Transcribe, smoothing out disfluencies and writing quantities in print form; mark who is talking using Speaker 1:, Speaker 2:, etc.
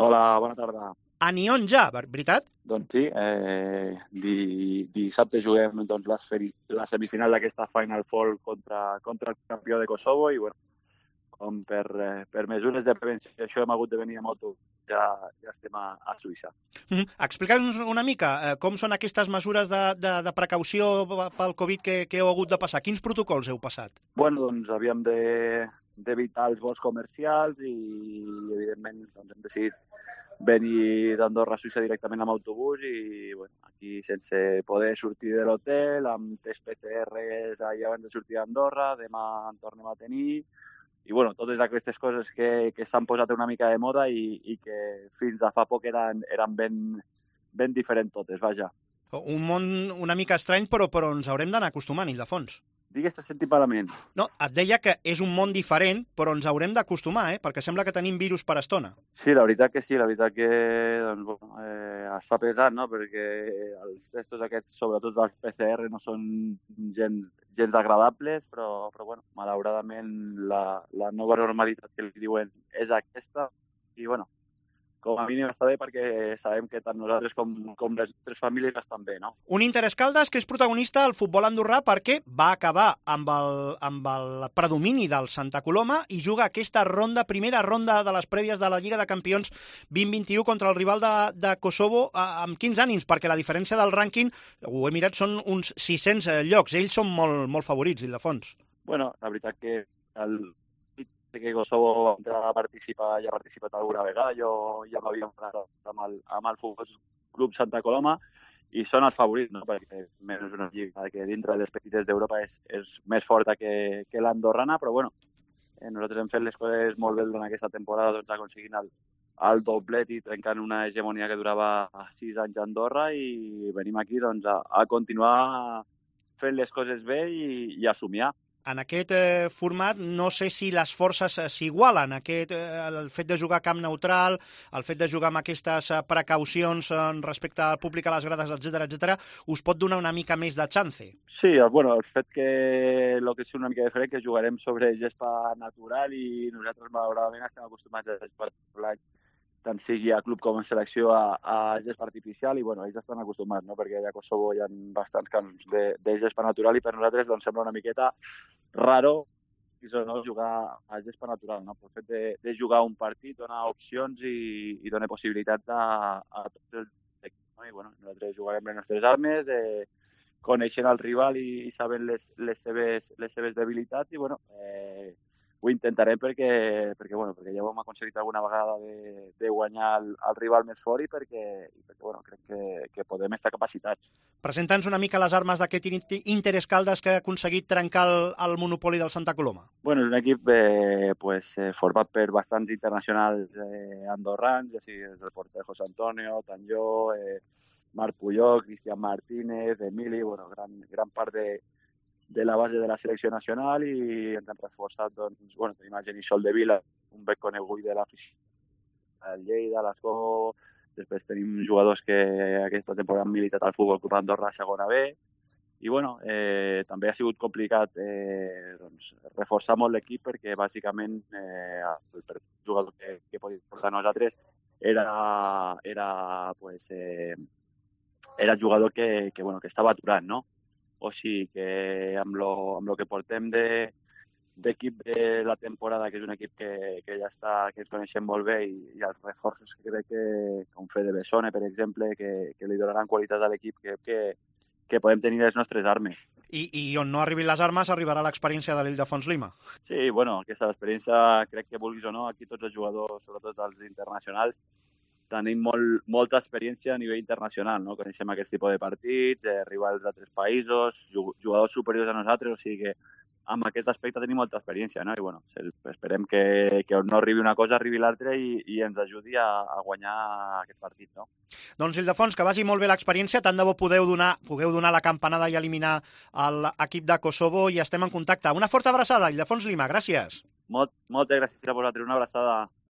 Speaker 1: Hola, bona tarda.
Speaker 2: A Nyon ja, veritat?
Speaker 1: Doncs sí, dissabte juguem doncs, la semifinal d'aquesta Final Four contra el campió de Kosovo i bueno, com per mesures de prevenció això hem hagut de venir a moto, ja estem a Suïssa.
Speaker 2: Explica'ns una mica com són aquestes mesures de precaució pel Covid que heu hagut de passar. Quins protocols heu passat?
Speaker 1: Bueno, doncs havíem d'evitar els vols comercials i evidentment doncs, hem decidit venir d'Andorra a Suïssa directament amb autobús i bueno, aquí sense poder sortir de l'hotel, amb test PCRs ahir abans de sortir d'Andorra, demà en tornem a tenir i bueno, totes aquestes coses que s'han posat una mica de moda i que fins a fa poc eren ben diferents totes, vaja.
Speaker 2: Un món una mica estrany, però ens haurem d'anar acostumant, Ildefons.
Speaker 1: Digues, t'has sentit malament.
Speaker 2: No, et deia que és un món diferent, però ens haurem d'acostumar, perquè sembla que tenim virus per estona.
Speaker 1: Sí, la veritat que sí, la veritat que doncs, bueno, es fa pesat, no? Perquè els testos aquests, sobretot dels PCR, no són gens agradables, però bueno, malauradament la nova normalitat que li diuen és aquesta i bueno, com a mínim està bé perquè sabem que tant nosaltres com les altres famílies estan bé, no?
Speaker 2: Un Interès Caldes que és protagonista al futbol andorrà perquè va acabar amb el predomini del Santa Coloma i juga aquesta primera ronda de les prèvies de la Lliga de Campions 2021 contra el rival de Kosovo amb 15 ànims, perquè la diferència del rànquing, ho he mirat, són uns 600 llocs. Ells són molt favorits, Ildefons.
Speaker 1: Bueno, la veritat que que Kosovo ha participat alguna vegada. Jo ja m'havia enfrontat amb el Futbol Club Santa Coloma i són els favorits, no? Perquè menys una lliga que dintre de les petites d'Europa és més forta que l'andorrana, però bueno, nosaltres hem fet les coses molt bé durant aquesta temporada, doncs aconseguint el doblet i trencant una hegemonia que durava 6 anys a Andorra i venim aquí doncs, a continuar fent les coses bé i a somiar.
Speaker 2: En aquest format no sé si les forces s'igualen, el fet de jugar a camp neutral, el fet de jugar amb aquestes precaucions respecte al públic a les grades, etc, us pot donar una mica més de chance?
Speaker 1: Sí, bueno, el fet que el que és una mica diferent que jugarem sobre gespa natural i nosaltres malauradament estem acostumats a gespa natural, tant sigui a club com a selecció a gespa artificial i bueno, ells estan acostumats, no? Perquè allà a Kosovo hi ha bastants camps de gespa natural i per nosaltres doncs, sembla una miqueta raro no? Jugar a gespa natural, no? El fet de jugar un partit dona opcions i dona possibilitat a tots els equips, no? I bueno, nosaltres jugarem les nostres armes, coneixent el rival i sabent les seves debilitats i bueno, ho intentarem perquè ja ho hem aconseguit alguna vegada de guanyar el rival més fort i perquè bueno, crec que podem estar capacitats.
Speaker 2: Presenta'ns una mica les armes d'aquest Interès Caldes que ha aconseguit trencar el monopoli del Santa Coloma.
Speaker 1: Bueno, és un equip format per bastants internacionals andorrans, ja sigui des del porter José Antonio, tant jo, Marc Puyol, Cristian Martínez, Emili, bueno, gran part de la base de la selecció nacional i ens han reforçat, doncs, bueno, tenim el Genís Soldevila, un bec conegut de l'afició, el Lleida, l'Escó, després tenim jugadors que aquesta temporada han militat al Futbol Club Andorra a segona B, i bueno, també ha sigut complicat doncs, reforçar molt l'equip perquè bàsicament el jugador que podia portar nosaltres era jugador que estava aturat, no? O sigui que amb lo que portem d'equip de la temporada, que és un equip que ja està, que ens coneixem molt bé i els reforços que crec que, com Fede Bessone, per exemple, que li donaran qualitat a l'equip, que podem tenir les nostres armes.
Speaker 2: I on no arribin les armes arribarà l'experiència de l'Ildefons Lima.
Speaker 1: Sí, bueno, aquesta experiència, crec que vulguis o no, aquí tots els jugadors, sobretot els internacionals, tenim molta experiència a nivell internacional, no? Coneixem aquest tipus de partits, rivals d'altres països, jugadors superiors a nosaltres, o sigui que amb aquest aspecte tenim molta experiència, no? I bueno, esperem que no arribi una cosa, arribi l'altra i ens ajudi a guanyar aquests partits, no?
Speaker 2: Doncs, Ildefons, que vagi molt bé l'experiència, tant de bo pugueu donar la campanada i eliminar l'equip de Kosovo i estem en contacte. Una forta abraçada, Ildefons Lima, gràcies.
Speaker 1: Moltes gràcies a vosaltres, una abraçada.